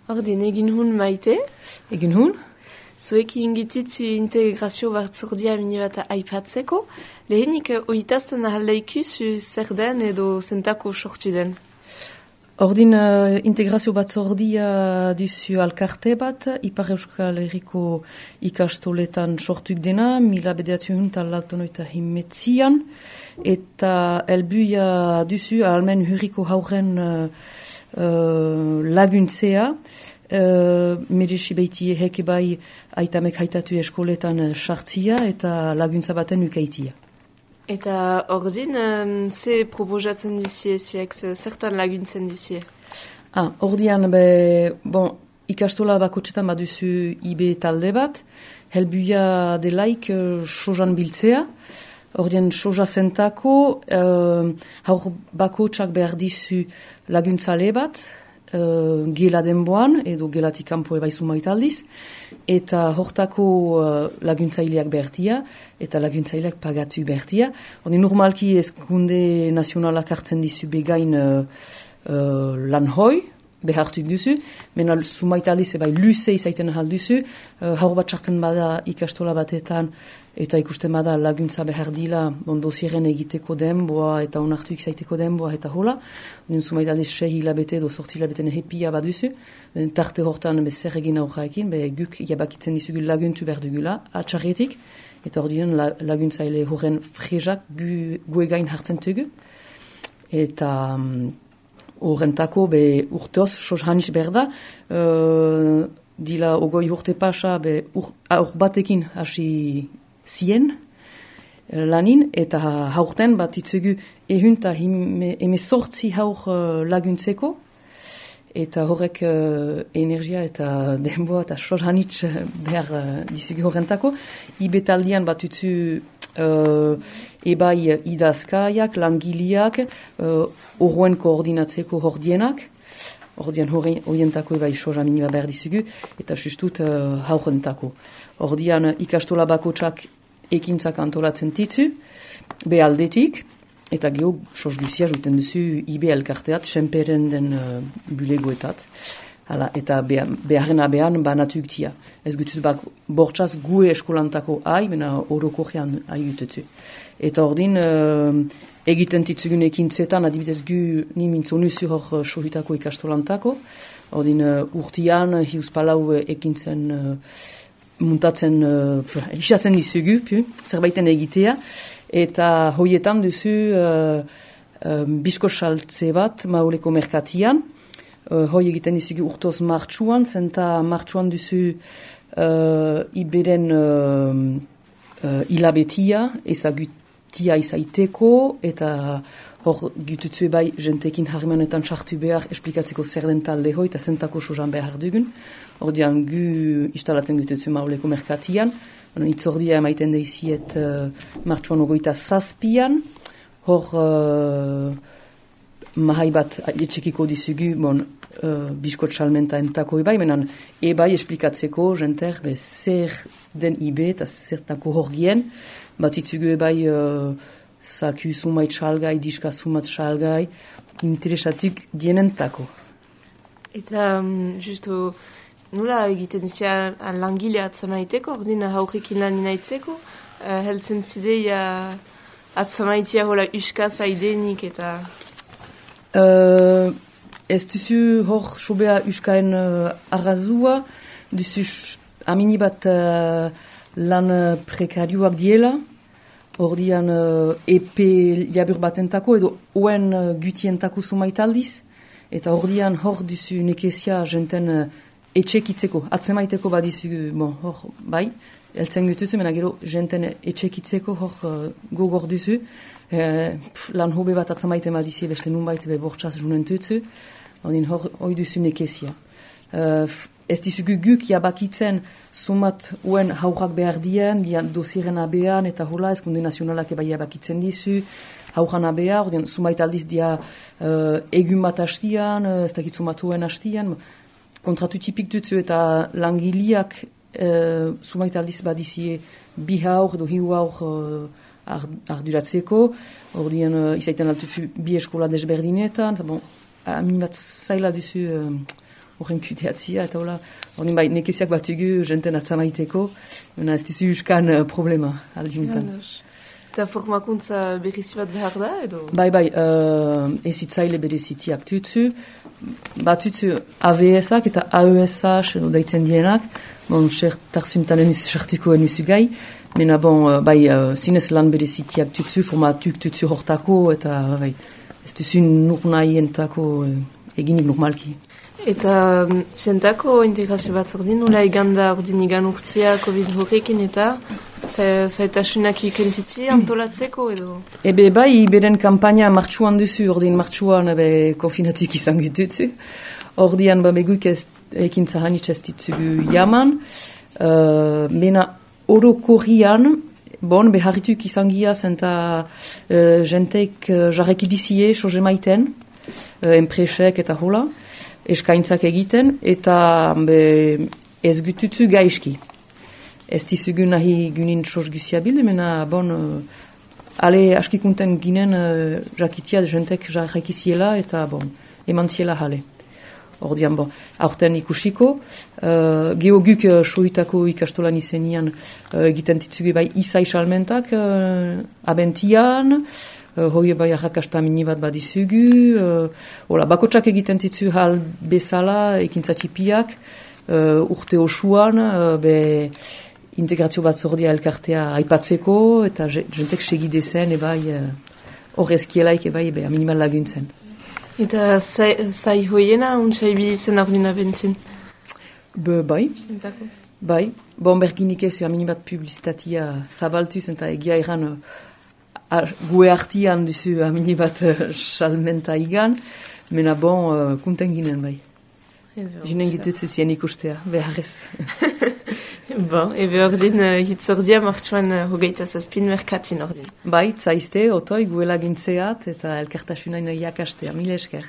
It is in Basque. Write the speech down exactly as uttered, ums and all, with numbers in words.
Ordin, egin hun maite? Egin hun? Zuekin gititzu integrazio batzordia mini bat aipatzeko, lehenik oitazten ahaldeikuzu zer den edo zentako sortu den? Ordin uh, integrazio batzordia duzu alkarte bat, Ipar Euskal Herriko ikastoletan sortuk dena, mila bederatziehun eta laurogeita hemeretzian, eta helbuia duzu ahalmen hurriko hauren uh, uh, laguntzea, Uh, merezi behiti heke bai aitamek haitatu eskoletan sartzia eta laguntza baten ukaitia. Eta ordin, um, ze proposatzen duzie, ziek, zertan laguntzen duzie? Ah, ordian, be, bon, ikastola bakotxetan baduzu I B talde bat, helbuia delaik uh, sojan biltzea, ordian soja zentako, uh, haur bakotxak behar dizu laguntzale bat, Uh, gela denboan, edo gelatik kanpo ebaizu maitaldiz, eta hortako uh, laguntzaileak bertia, eta laguntzaileak pagatu bertia. Hori normalki eskunde nazionalak hartzen dizu begain uh, uh, lan hoi, behartuk duzu, mena sumaitaldiz ebai luze izaiten ahal duzu, uh, haur bat sartzen bada ikastola batetan, eta ikusten bada laguntza behar dila, bon, dosieren egiteko denboa, eta onartuik zaiteko denboa, eta hola. Nien sumaitaldiz sehi hilabete edo sortzi hilabeten hepia baduzu, tarte hortan bezer egin aurraekin, be guk jabakitzen dizugu laguntu behar dugula, atxarretik, eta hor diren la, laguntzaile horren frezak gu, gu egain hartzen tugu, eta horrentako be urteoz sos hanis berda, uh, dila ogoi urte pasa, be ur, aur batekin hasi zien lanin, eta haurten bat itzugu ehunta emezortzi haur uh, laguntzeko, eta horrek uh, energia eta denboa eta sos hanitz behar uh, dizugu horrentako. Ibetaldian bat utzu uh, ebai idazkaiak, langiliak, uh, horren koordinatzeko hordienak, ordian horientako ebai soja minima behar dizugu, eta justut uh, haurentako. Ordian ikastola bakotsak ekintzak antolatzen ditzu, behaldetik, eta geho sos guzia juten duzu I B elkarteat, senperen den uh, bulegoetat. Hala, eta beharren abean banatuk tia. Ez gutuz bak bortxaz gue eskolantako ai, mena orokojean ai gutetzu. Eta ordin, uh, egiten ditzugun ekintzetan, adibidez gu ni mintzonuzu hor sohitako ikastolantako, ordin uh, urtian, hiuz palau ekintzen uh, muntatzen, uh, isatzen dizugu, pu, zerbaiten egitea, eta hoietan duzu uh, uh, bisko saltze bat mauleko merkatian, uh, hoi egiten dizugu urtoz martxuan, zenta martxuan duzu uh, iberen uh, uh, ilabetia, ezagutia izaiteko, eta hor gututzu bai jentekin harremanetan sartu behar esplikatzeko zer den talde hoi, eta zentako sojan behar dugun. Ordian gu instalatzen gututzu mauleko merkatian, itzordia emaiten deiziet uh, martxuan ogoita zazpian, hor uh, mahai bat etxekiko dizugu, bon, uh, biskot salmenta entako ebai, menan ebai esplikatzeko jenter, be zer den I B eta zertako horgien, bat itzugu ebai uh, zaku sumait salgai, diska sumat salgai, interesatik dienentako. Eta, um, justu, nola egiten duzia langile atzamaiteko, ordina haurrekin lan inaitzeko, uh, heltzen zideia atzamaitia hola uskaz aidenik eta... Uh, ez duzu hor sobea uskaen uh, arrazua, duzu amini bat uh, lan prekarioak diela, ordian uh, epe jabur batentako edo oen uh, gutientako sumaitaldiz, eta ordian hor duzu nekezia jenten uh, etxekitzeko, atzemaiteko badizu, bon, hor, bai, eltzen gutuzu, mena gero jenten etxekitzeko hor uh, gogor duzu, eh, pf, lan hobe bat atzemaiten badizie beste nunbait be bortxaz junentutzu, ondin hor hoi duzu nekezia. Uh, ez dizugu guk jabakitzen sumat uen haurak behar dien, dian dosieren abean, eta hola, eskunde nazionalak eba jabakitzen dizu, hauran abea, ordin sumait aldiz dia uh, egun bat hastian, uh, ez dakit sumatuen hastian, kontratu tipik dutzu eta langiliak uh, sumait aldiz badizie bi haur edo hiu haur uh, arduratzeko, ordien uh, izaiten altutzu bi eskola desberdinetan, eta bon, amin bat zaila duzu uh, horren kudeatzia, eta hola, ordin bai, nekeziak batugu jenten atzamaiteko, baina ez duzu uskan uh, problema, aldiuntan. Eta formakuntza berrizi bat behar da, edo? Bai, bai, uh, ezitzaile berezitiak tutzu, bat tutzu A V S-ak eta A E S-ak edo daitzen dienak, bon, sertarzuntan eniz sartiko enizu gai, mena bon, uh, bai, uh, zinez lan berezitiak tutzu, formatuk tutzu hortako, eta bai, ez duzu nur nahi entako uh, eginik normalki. Eta um, zientako integrazio bat ordin, nula iganda ordin igan urtzia COVID horrekin eta zaitasunak ikentitzi antolatzeko edo? Ebe bai, beren kampaina martxuan duzu, ordin martxuan ebe konfinatuk izan gututzu. Ordian ba beguk ez ekin zahanitz ez ditzugu jaman. Uh, mena orokorrian, bon, beharrituk izan giaz eta uh, jenteik uh, jarrek idizie, soze maiten, uh, enpresek eta hola, eskaintzak egiten, eta be, ez gututzu gaizki. Ez dizugu nahi gunin soz guziabil, mena bon, uh, ale askikunten ginen uh, jakitia jentek jarrekiziela, eta bon, eman ziela jale. Ordian, bon, aurten ikusiko, uh, geoguk uh, soitako ikastolan izenian uh, egiten ditzugu bai izai salmentak uh, abentian, uh, hoi bai arrakasta mini bat badizugu, uh, hola, bakotsak egiten ditzu hal bezala, ekintzatxipiak, uh, urte osuan, uh, be integrazio bat zordia elkartea aipatzeko, eta jentek segidezen, ebai, horrezkielaik, uh, ebai, ebe, minimal laguntzen. Eta zai, zai hoiena untsa ibilitzen ordina bentzin? Be, bai. Zentako? Bai. Bon, berginik ez, amini bat publizitatia zabaltuz, eta egia eran uh, gue artian duzu amini bat uh, salmenta igan, mena bon, uh, kunten ginen, bai. Ginen gitutzu zien ikustea, beharrez. Bon, ebe ordin uh, hitz ordia martxuan uh, hogeita zazpin merkatzin ordin. Bai, zaizte, otoi, guela gintzeat, eta elkartasunain jakastea, mile esker.